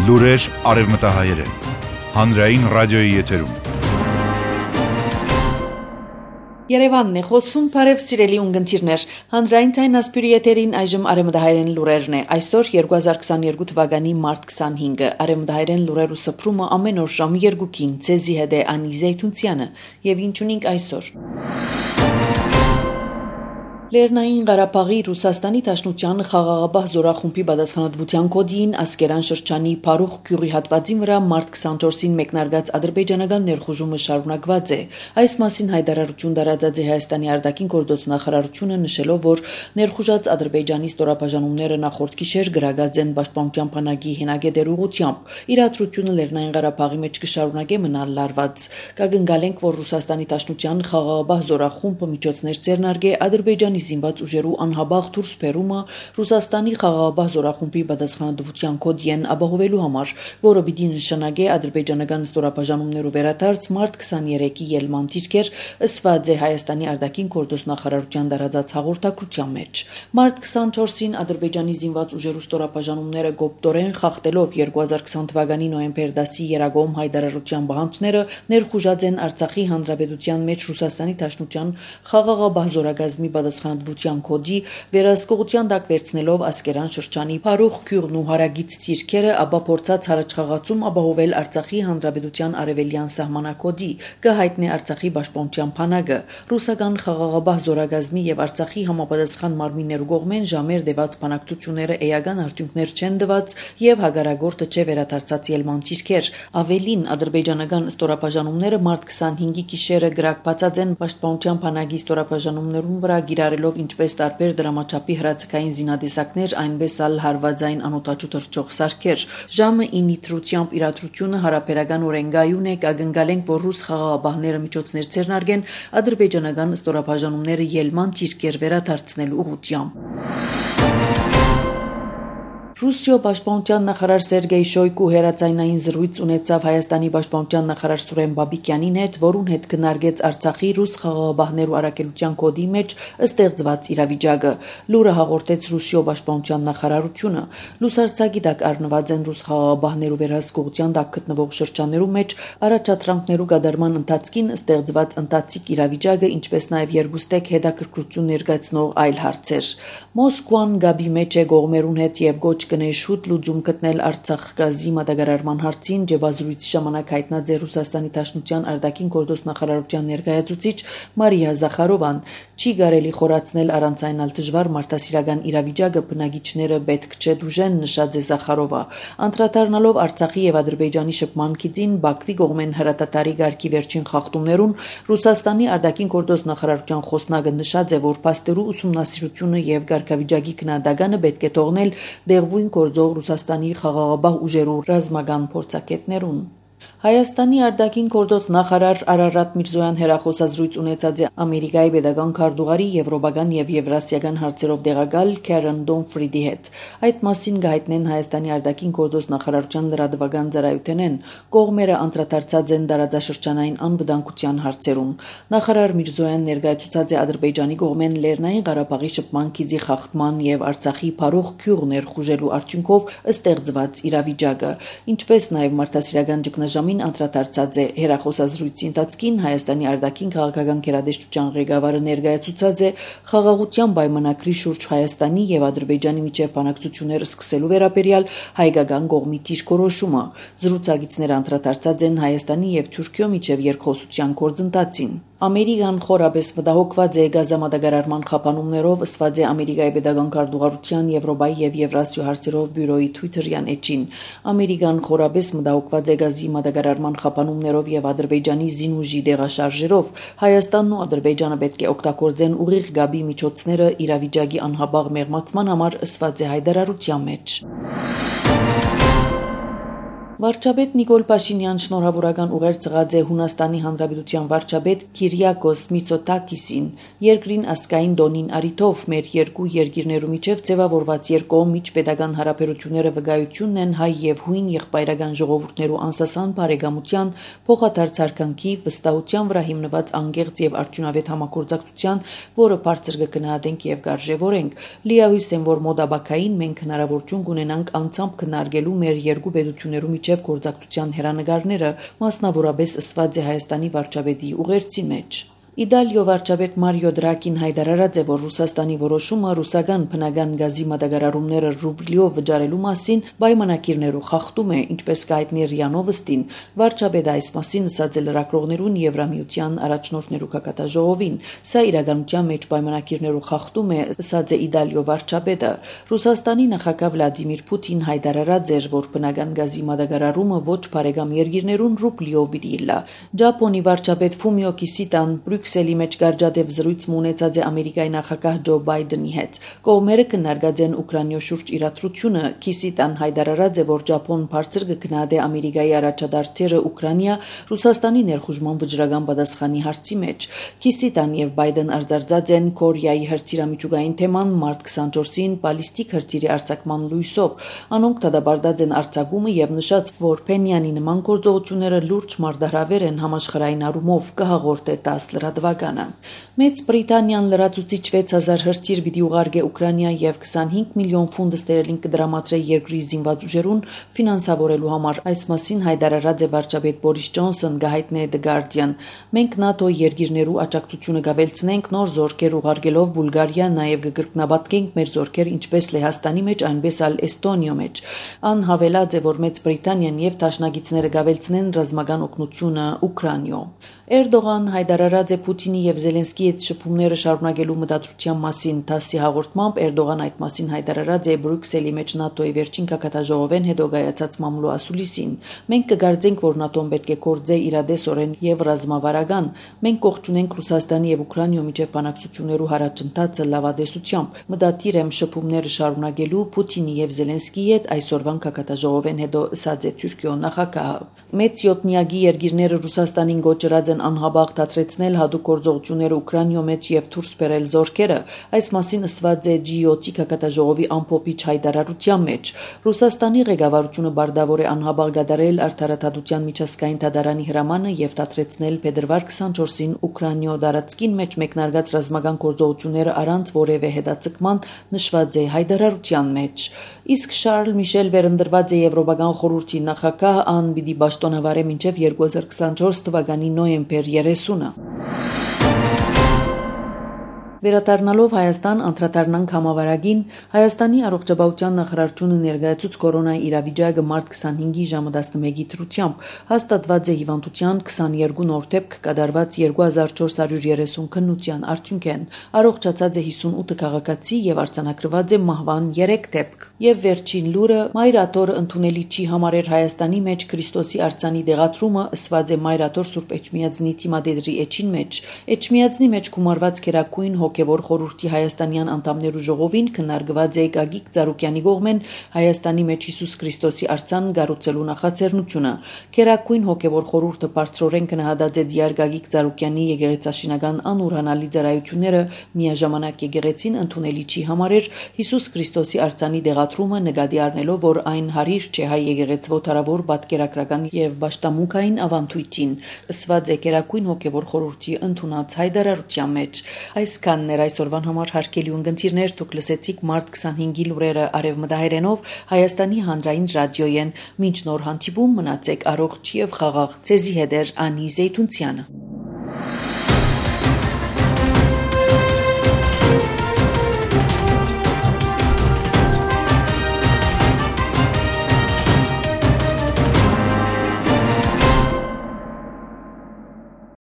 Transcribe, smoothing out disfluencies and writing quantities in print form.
Լուրեր արևմտահայերեն, հանրային ռադիոյի եթերում։ Երևանն է խոսում, բարև սիրելի ունգընտիրներ, հանրային թայն ասպյուրի եթերին այժմ արևմտահայերեն լուրերն է, այսօր 2022 թվականի մարտ 25-ը, արևմտահայերեն լուրերու սփռումը ամեն օր ժամը 2-ին, ցեզի հետ է Անի Զեյթունցյանը, եւ ինչ ունենք այսօր։ Լեռնային Ղարաբաղի Ռուսաստանի Դաշնության խաղաղապահ զորախումբի պատասխանատվության կոդին Ասկերան շրջանի Փարուխ գյուղի հատվածի վրա մարտ 24-ին մեկնարկած ադրբեջանական ներխուժումը շարունակված է։ Այս մասին հայտարարություն տարածած է Հայաստանի արտաքին գործոց նախարարությունը, նշելով, որ ներխուժած Ադրբեջանի ստորաբաժանումները նախորդ գիշեր գրագած են պաշտպանության բանակի հենագետեր ուղղությամբ։ Իրադրությունը Լեռնային Ղարաբաղի մեջ կշարունակե մնալ լարված։ Կգնգալենք, որ Ռուսաստանի Դաշնության խաղաղապահ զորախումբը միջոցներ ձեռնարկե Ադրբեջանի զինված ուժերու անհաբաղ դուրս բերումը Ռուսաստանի խաղաղապահ զորախումբի պատասխանատվության կոդին ապահովելու համար, որը պիտի նշանակե ադրբեջանական ստորաբաժանումներու վերադարձ մարտ 23-ի ելման դիրքեր, ըսված է Հայաստանի արտաքին գործոց նախարարության տարածած հաղորդագրության մեջ։ Մարտ 24-ին Ադրբեջանի զինված ուժերու ստորաբաժանումները գոպտորեն խախտելով 2020 թվականի նոյեմբեր 10-ի երագոմ հայտարարության բանջները ներխուժած են Արցախի հանրապետության մեջ Ռուսաստանի Դաշնության խաղաղապահ զորագազմի պատասխանատվության կոդի վերահսկողության տակ վերցնելով Ասկերան շրջանի Փարուխ գյուղն ու հարագից դիրքերը, ապա փորձած հարաճխաղացում ապահովել Արցախի հանրապետության արևելյան սահմանակոդի, կհայտնի Արցախի պաշտպանության բանակը, ռուսական խաղաղապահ զորագազմի եւ Արցախի համապատասխան մարմիններու կողմեն ժամեր դեված բանակցությունները էական արդյունքներ չեն տված եւ հագարագործը չէ վերադարձած ելման դիրքեր։ Ավելին, ադրբեջանական ստորաբաժանումները մարտ 25-ի գիշերը գրակբացած են պաշտպանության բանակի ստորաբաժանումներուն վրա գիրառելով ինչպես տարբեր դրամաչափի հրացակային զինադեսակներ, այնպես ալ հարվածային անօդաչու թռչող սարքեր։ Ժամը 9-ի դրությամբ իրադրությունը հարաբերական օրենգայուն է, կգնգալենք, որ ռուս խաղաղապահները միջոցներ ձեռնարկեն ադրբեջանական ստորաբաժանումները ելման դիրքեր վերադարձնելու ուղղությամբ։ Ռուսիո պաշտպանության նախարար Սերգեյ Շոյգու հերացայնային զրույց ունեցավ Հայաստանի պաշտպանության նախարար Սուրեն Բաբիկյանին հետ, որուն հետ քննարկեց Արցախի ռուս խաղաղապահներու առաքելության կոդի մեջ ստեղծված իրավիճակը։ Լուրը հաղորդեց Ռուսիո պաշտպանության նախարարությունը։ Լուսարձակի տակ առնված են ռուս խաղաղապահներու վերահսկողության տակ գտնվող շրջաններու մեջ առաջադրանքներու կատարման ընթացքին ստեղծված ընթացիկ իրավիճակը, ինչպես նաև երկուստեք հետաքրքրություն ներկայացնող այլ հարցեր։ Մոսկվան գաբի մեջ է կողմերուն հետ եւ գոչ կնե շուտ լուծում գտնել Արցախ գազի մատակարարման հարցին, ջեբազրույցի ժամանակ հայտնած է Ռուսաստանի Դաշնության արտաքին գործոց նախարարության ներկայացուցիչ Մարիա Զախարովան։ Չի կարելի խորացնել առանց այնալ դժվար մարդասիրական իրավիճակը, բնակիչները պետք չէ դուժեն, նշած է Զախարովա։ Անդրադառնալով Արցախի եւ Ադրբեջանի շփման գծին Բաքվի կողմեն հրատատարի գարկի վերջին խախտումներուն, Ռուսաստանի արտաքին գործոց նախարարության խոսնակը նշած է, որ փաստերու ուսումնասիրությունը եւ գարկավիճակի քննադատանը պետք է թողնել դեղվույն գործող Ռուսաստանի խաղաղապահ ուժերու ռազմական փորձագետներուն։ Հայաստանի արտաքին գործոց նախարար Արարատ Միրզոյան հերախոսազրույց ունեցած է Ամերիկայի պետական քարտուղարի եվրոպական եւ եվրասիական հարցերով տեղակալ Քերեն Դոնֆրիդի հետ։ Այդ մասին կհայտնեն Հայաստանի արտաքին գործոց նախարարության լրատվական ծառայությունեն։ Կողմերը անդրադարձած են տարածաշրջանային անվտանգության հարցերուն։ Նախարար Միրզոյան ներկայացուցած է Ադրբեջանի կողմեն Լեռնային Ղարաբաղի շփման գծի խախտման եւ Արցախի Փարուխ գյուղ ներխուժելու արդյունքով ստեղծված իրավիճակը, ինչպես նաեւ մարդասիրական ճգնաժամի անդրադարձած է հերախոսազրույցի ընթացքին Հայաստանի արտաքին քաղաքական գերատեսչության ղեկավարը ներկայացուցած է խաղաղության պայմանագրի շուրջ Հայաստանի եւ Ադրբեջանի միջև բանակցություններ սկսելու վերաբերյալ հայկական կողմի դիրքորոշումը։ Զրուցակիցները անդրադարձած են Հայաստանի եւ Թուրքիո միջև երկխոսության գործընթացին։ Ամերիկան խորապես մտահոգված է գազամատակարարման խափանումներով, ըսված է Ամերիկայի պետական քարտուղարության Եվրոպայի եւ Եվրասիո հարցերով բյուրոյի Twitter-յան էջին։ Ամերիկան խորապես մտահոգված է գազի մատակարարման խափանումներով եւ Ադրբեջանի զինուժի դեղաշարժերով։ Հայաստանն ու Ադրբեջանը պետք է օգտագործեն ուղիղ գաբի միջոցները իրավիճակի անհաբաղ մեղմացման համար, ըսված է հայտարարության մեջ։ Վարչապետ Նիկոլ Փաշինյան շնորհավորական ուղեր ծղած է Հունաստանի Հանրապետության վարչապետ Քիրիակոս Միցոտակիսին, երկրին ազգային դոնին առիթով մեր երկու երկիրներու միջև ձևավորված երկկողմ միջպետական հարաբերությունները վկայությունն են հայ եւ հույն եղբայրական ժողովուրդներու անսասան բարեկամության, փոխադարձ հարկանքի, վստահության վրա հիմնված անկեղծ եւ արդյունավետ համագործակցության, որը բարձր կգնահատենք եւ կարժևորենք։ Լիահույս եմ, որ մոդաբակային մենք հնարավորություն կունենանք անցամբ քննարկելու մեր երկու պետություններու միջև գործակցության հերանեկարները, մասնավորապես ըսված է Հայաստանի վարչապետի ուղերձի մեջ։ Իտալիո վարչապետ Մարիո Դրագին հայտարարած է, որ Ռուսաստանի որոշումը ռուսական բնական գազի մատակարարումները ռուբլիով վճարելու մասին պայմանագիրներու խախտում է, ինչպես կհայտնի ՌԻԱ Նովոստին։ Վարչապետը այս մասին ասաց է լրագրողներուն Եվրամիության առաջնորդներու կակատաժողովին։ Սա իրականության մեջ պայմանագիրներու խախտում է, ասաց է Իտալիո վարչապետը։ Ռուսաստանի նախագահ Վլադիմիր Պուտին հայտարարած էր, որ բնական գազի մատակարարումը ոչ բարեկամ երկիրներուն ռուբլիով պիտի լա։ Ճապոնի վարչապետ Ֆումիո Կիսիդան Բրյուսելի մեջ գարժադեվ զրույց ունեցած է Ամերիկայի նախագահ Ջո Բայդենի հետ։ Կողմերը քննարկած են Ուկրաինայ շուրջ իրադրությունը։ Կիսիդան հայտարարած է, որ Ճապոնն բարձր կգնահատի Ամերիկայի առաջադարձերը Ուկրաինա Ռուսաստանի ներխուժման վճռական պատասխանի հարցի մեջ։ Կիսիդան եւ Բայդեն արձարծած են Կորեայի հրթիռամիջուկային թեման մարտ 24-ին բալիստիկ հրթիռի արձակման լույսով։ Անոնք դադարեցած են արձակումը եւ նշած, որ Փենյանի նման գործողությունները լուրջ մարտահրավեր են համաշխարհային առումով, կհաղորդե 10 լրատվականը։ Մեծ Բրիտանիան լրացուցիչ 6000 հրթիռ պիտի ուղարկե Ուկրաինա եւ 25 միլիոն ֆունտ ստերլինգ կդրամատրե երկրի զինված ուժերուն ֆինանսավորելու համար։ Այս մասին հայտարարած է վարչապետ Բորիս Ջոնսոն, գահիտնե The Guardian։ Մենք ՆԱՏՕ երկիրներու աջակցությունը կավելցնենք նոր զորքեր ուղարկելով Բուլղարիա, նաեւ կգրկնաբատենք մեր զորքեր ինչպես Լեհաստանի մեջ, այնպես ալ Էստոնիո մեջ։ Ան հավելած է, որ Մեծ Բրիտանիան եւ դաշնակիցները կավելցնեն ռազմական օգնությունը Ուկրաինայ։ Էրդողան հայտարարած է Պուտինի եւ Զելենսկիի հետ շփումները շարունակելու մտադրության մասին։ ՏԱՍՍ-ի հաղորդմամբ Էրդողան այդ մասին հայտարարած է Բրյուսելի մեջ ՆԱՏՕ-ի վերջին կակատաժողովեն հետո կայացած մամլո ասուլիսին։ Մենք կգարձենք, որ ՆԱՏՕ-ն պետք է կործե իրադեսորեն եւ ռազմավարական։ Մենք կողջունենք Ռուսաստանի եւ Ուկրաինայ միջև բանակցություններու հարաճընթացը լավադեսությամբ։ Մտադիր եմ շփումները շարունակելու Պուտինի եւ Զելենսկիի հետ այսօրվան կակատաժողովեն հետո ասաց է Թուրքիո նախագահը։ Մեծ յոթնյակի երկիրները Ռուսաստանին գոչրած են անհաբաղ դադրեցնել հատուկ գործողությունները Ուկրաինայ մեջ եւ դուրս բերել զորքերը։ Այս մասին ասված է G7-ի կակատաժողովի ամփոփիչ հայտարարության մեջ։ Ռուսաստանի ղեկավարությունը բարդավոր է անհաբաղ գդարել արդարադատության միջազգային դատարանի հրամանը եւ դադրեցնել փետրվար 24-ին Ուկրաինայ դարածքին մեջ մեկնարկած ռազմական գործողությունները առանց որևէ հետաձգման, նշված է հայտարարության մեջ։ Իսկ Շարլ Միշել վերընտրված է Եվրոպական խորհրդի նախագահ, ան պիտի պաշտոնավարե մինչև 2024 թվականի նոյեմբեր 30-ը։ Վերադառնալով Հայաստան անդրադառնանք համավարակին, Հայաստանի առողջապահության նախարարությունը ներկայացուց կորոնայի իրավիճակը մարտ 25-ի ժամը 11-ի դրությամբ հաստատված է հիվանդության 22 նոր դեպք կատարված 2430 քննության արդյունքեն, առողջացած է 58 քաղաքացի եւ արձանագրված է մահվան 3 դեպք։ Եվ վերջին լուրը Մայրաթորը ընդունելի չի համարել Հայաստանի մեջ Քրիստոսի արձանի դեղատրումը, ասված է Մայրաթոր Սուրբ Էջմիածնի թիմադեդրի էջին մեջ։ Էջմիածնի մեջ գումարված քերակույն հոգևոր խորհրդի հայաստանյան անդամներու ժողովին քննարկված է Գագիկ Ծառուկյանի կողմեն Հայաստանի մեջ Հիսուս Քրիստոսի արձան կառուցելու նախաձեռնությունը։ Քերակույն հոգևոր խորհուրդը բարձրորեն գնահատած է դիար Գագիկ Ծառուկյանի եկեղեցաշինական անուրանալի ծառայությունները, միաժամանակ եկեղեցին ընդունելի չի համարել Հիսուս Քրիստոսի արձանի դեղատրումը, նկատի առնելով, որ այն հարիր չէ հայ եկեղեցվո տարավոր պատկերագրական եւ պաշտամունքային ավանդույթին, ասված է Քերակույն հոգևոր խորհրդի ընդունած հայտարարության մեջ։ Այսքանն էր այսօրվան համար հարգելի ունգընտիրներ, դուք լսեցիք մարտ 25-ի լուրերը արևմտահայերենով Հայաստանի հանրային ռադիոյեն։ Մինչ նոր հանդիպում մնացեք առողջ եւ խաղաղ։ Ձեզի հետ էր Անի Զեյթունցյանը։